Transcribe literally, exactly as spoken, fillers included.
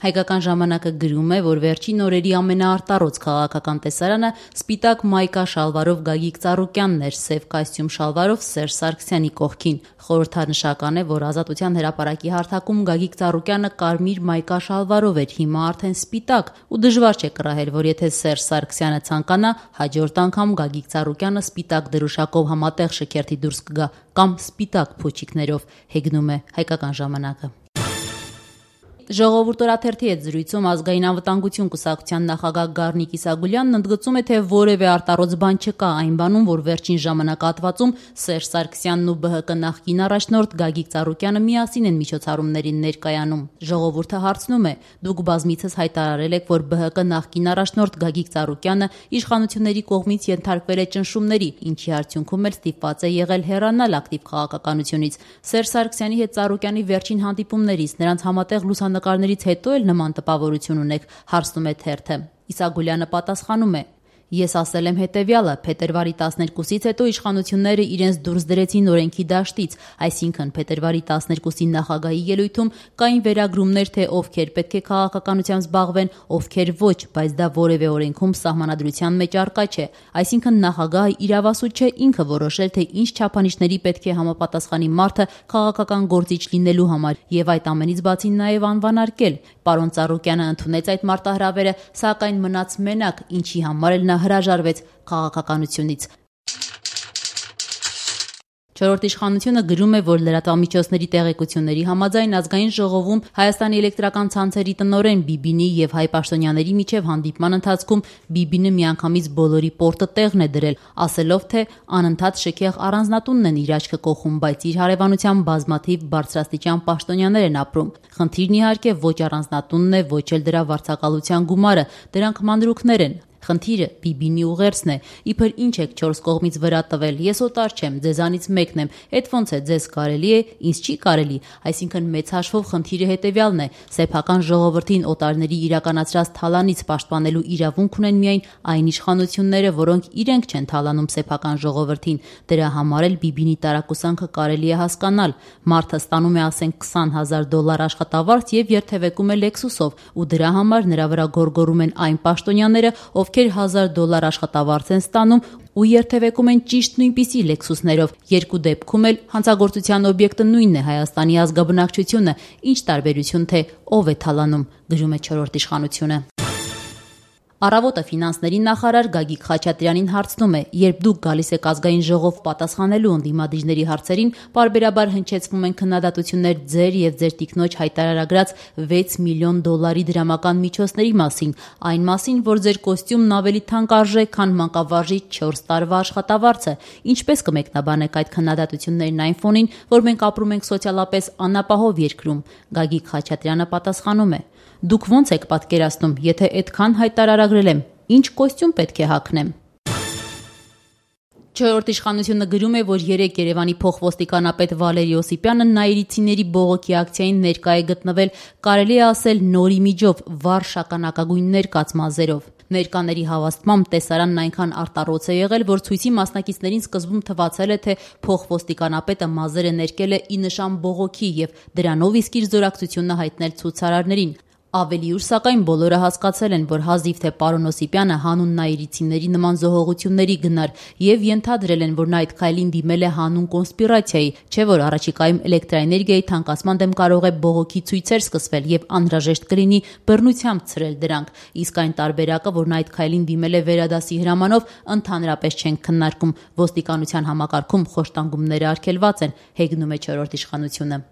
Հայկական ժամանակը գրում է, որ վերջին օրերի ամենաարտառոց քաղաքական տեսարանը սպիտակ մայկա շալվարով Գագիկ Ծառուկյանն էր, սև կոստյում շալվարով Սերժ Սարգսյանի կողքին։ Խորհրդանշական է, որ Ազատության հրապարակի հարթակում Գագիկ Ծառուկյանը կարմիր մայկա շալվարով էր, հիմա արդեն սպիտակ, ու դժվար չէ կռահել, որ եթե Սերժ Սարգսյանը ցանկանա, հաջորդ անգամ Գագիկ Ծառուկյանը սպիտակ դրոշակով համատեղ շքերթի դուրս կգա կամ սպիտակ փոչիկներով, հեգնում է Հայկական ժամանակը։ Ժողովուրդ օրաթերթի հետ զրույցում ազգային անվտանգություն կուսակցության նախագահ Գառնիկ Իսագուլյանն ընդգծում է, թե որևէ արտառոց բան չկա այն բանում, որ վերջին ժամանակահատվածում Սերժ Սարգսյանն ու ԲՀԿ նախկին առաջնորդ Գագիկ Ծառուկյանը միասին են միջոցառումներին ներկայանում։ Ժողովուրդը հարցնում է. դուք բազմիցս հայտարարել եք, որ ԲՀԿ նախկին առաջնորդ Գագիկ Ծառուկյանը իշխանությունների կողմից ենթարկվել է ճնշումների, ինչի արդյունքում էլ ստիպված է եղել հեռանալ ակտիվ քաղաքականությունից։ Սերժ Սարգսյանի հետ Ծառուկյանի վերջին հանդիպումներից, նրանց համատեղ լուսանկարներից հետո էլ նման տպավորություն ունեք, հարցնում է թերթը։ Իսագուլյանը պատասխանում է. Ես ասել եմ հետևյալը. փետրվարի տասներկուսից հետո իշխանությունները իրենց դուրս դրեցին օրենքի դաշտից, այսինքն փետրվարի տասներկուսի նախագահի ելույթում կային վերագրումներ, թե ովքեր պետք է քաղաքականությամբ զբաղվեն, ովքեր ոչ, բայց դա որևէ օրենքում սահմանադրության մեջ առկա չէ, այսինքն նախագահը իրավասու չէ ինքը որոշել, թե ինչ չափանիշների պետք է համապատասխանի մարդը քաղաքական գործիչ լինելու համար եւ այդ ամենից բացի նաեւ անվանարկել։ Պարոն Ծառուկյանը ընդունեց այդ մարտահրավերը, սակայն մնաց մենակ, ինչի համար էլ նա հրաժարվեց քաղաքականությունից։ Չորրորդ իշխանությունը գրում է, որ լրատվամիջոցների տեղեկությունների համաձայն ազգային ժողովում Հայաստանի էլեկտրական ցանցերի տնօրեն Բիբինի եւ Հայ Պաշտոնյաների միջև հանդիպման ընթացքում Բիբինը միանգամից բոլորի պորտը տեղն է դրել, ասելով, թե անընդհատ շքեղ առանձնատունն են իր աչքը կողում, բայց իր հարևանությամբ բազմաթիվ բարձրաստիճան պաշտոնյաներ են ապրում։ Խնդիրն իհարկե ոչ առանձնատունն է, ոչ էլ դրա վարձակալության գումարը, դրանք մանրուքներ են։ Խնդիրը Բիբինի ուղերձն է, իբր ինչ եք չորս կողմից վրա տվել, ես օտար չեմ, ձեզանից մեկն եմ, էդ ոնց է, ձեզ կարելի է, ինձ չի կարելի, այսինքն մեծ հաշվով խնդիրը հետևյալն է, սեփական ժողովրդին օտարների իրականացրած թալանից պաշտպանելու իրավունք ունեն միայն այն իշխանությունները, որոնք իրենք չեն թալանում սեփական ժողովրդին, դրա համար էլ Բիբինի տարակուսանքը կարելի է հասկանալ, մարդը ստանում է ասենք քսան հազար դոլար աշխատավարձ եւ երթևեկում է Lexus-ով, ու դրա համար նրա վրա գորգորում են այն պաշտոնյաները, ով ովքեր հազար դոլար աշխատավարձ են ստանում ու երթևեկում են ճիշտ նույնպիսի լեքսուսներով, երկու դեպքում էլ հանցագործության օբյեկտը նույնն է Հայաստանի ազգաբնակչությունը, ինչ տարբերություն թե ով է թալանում, գրում է չորրորդ իշխանությունը։ Առավոտը ֆինանսների նախարար Գագիկ Խաչատրյանին հարցնում է. երբ դուք գալիս եք ազգային ժողով պատասխանելու ընդդիմադիրների հարցերին, պարբերաբար հնչեցվում են քննադատություններ ձեր եւ ձեր տիկնոջ հայտարարագրած վեց միլիոն դոլարի դրամական միջոցների մասին, այն մասին, որ ձեր կոստյումն ավելի թանկարժեք, քան մանկավարժի չորս տարվա աշխատավարձը։ Ինչպես կմեկնաբանեք այդ քննադատություններն այն ֆոնին, որ մենք ապրում ենք սոցիալապես անապահով երկրում։ Գագիկ Խաչատրյանը պատասխանում է. Դուք ոնց եք պատկերացնում, եթե այդքան հայտարարագրել եմ, ինչ կոստյում պետք է հագնեմ։ Չորրորդ իշխանությունը գրում է, որ երեկ Երևանի փոխոստիկանապետ Վալերի Օսիպյանը նաիրիցիների բողոքի ակցիային ներկա է գտնվել, կարելի է ասել նորի միջով, վառ շագանակագույն կացմազերով։ Ներկաների հավաստմամբ տեսարանն այնքան արտառոց է եղել, որ ցույցի մասնակիցներին սկզբում թվացել է, թե փոխոստիկանապետը մազերը ներկել է ի նշան բողոքի եւ դրանով իսկ իր զորակցությունը հայտնել ցուցարարներին։ Ավելի ուշ սակայն բոլորը հասկացել են, որ հազիվ թե պարոն Օսիպյանը հանուն նաիրիցիների նման զոհողությունների գնար եւ ենթադրել են, որ նա այդ քայլին դիմել է հանուն կոնսպիրացիայի, չէ՞ որ առաջիկայում էլեկտրաէներգիայի թանկացման դեմ կարող է բողոքի ցույցեր սկսվել եւ անհրաժեշտ կլինի բռնությամբ ցրել դրանք, իսկ այն տարբերակը, որ նա այդ քայլին դիմել է վերադասի հրամանով, ընդհանրապես չեն քննարկում, ոստիկանության համակարգում խոշտանգումները արգելված են, հեգնում է չորրորդ իշխանությունը։